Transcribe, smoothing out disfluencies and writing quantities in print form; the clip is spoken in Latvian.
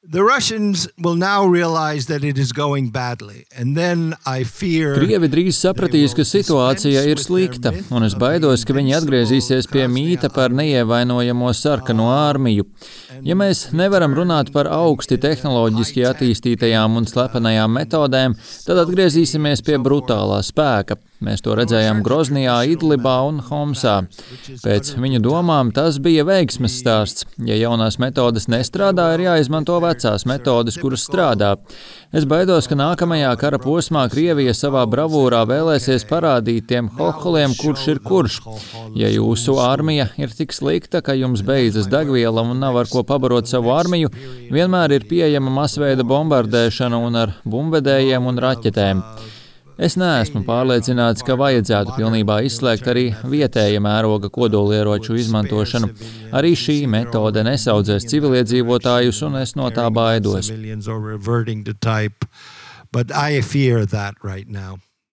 The Russians will now realize that it is going badly, and then I fear. Krievi drīz sapratīs, ka situācija ir slikta, un es baidos, ka viņi atgriezīsies pie mīta par neievainojamo sarkano armiju. Ja mēs nevaram runāt par augsti tehnoloģiski attīstītajām un slepenajām metodēm, tad atgriezīsimies pie brutālā spēka. Mēs to redzējām Groznijā, Idlibā un Homsā. Pēc viņu domām tas bija veiksmes stāsts. Ja jaunās metodes nestrādā, ir jāizmanto vecās metodes, kuras strādā. Es baidos, ka nākamajā kara posmā Krievija savā bravūrā vēlēsies parādīt tiem hoholiem, kurš ir kurš. Ja jūsu armija ir tik slikta, ka jums beidzas degviela un nav ar ko pabarot savu armiju, vienmēr ir pieejama masveida bombardēšana un ar bumbvedējiem un raķetēm. Es neesmu pārliecināts, ka vajadzētu pilnībā izslēgt arī vietēja mēroga kodolieroču izmantošanu. Arī šī metode nesaudzēs civiliedzīvotājus, un es no tā baidos. But I fear that right now.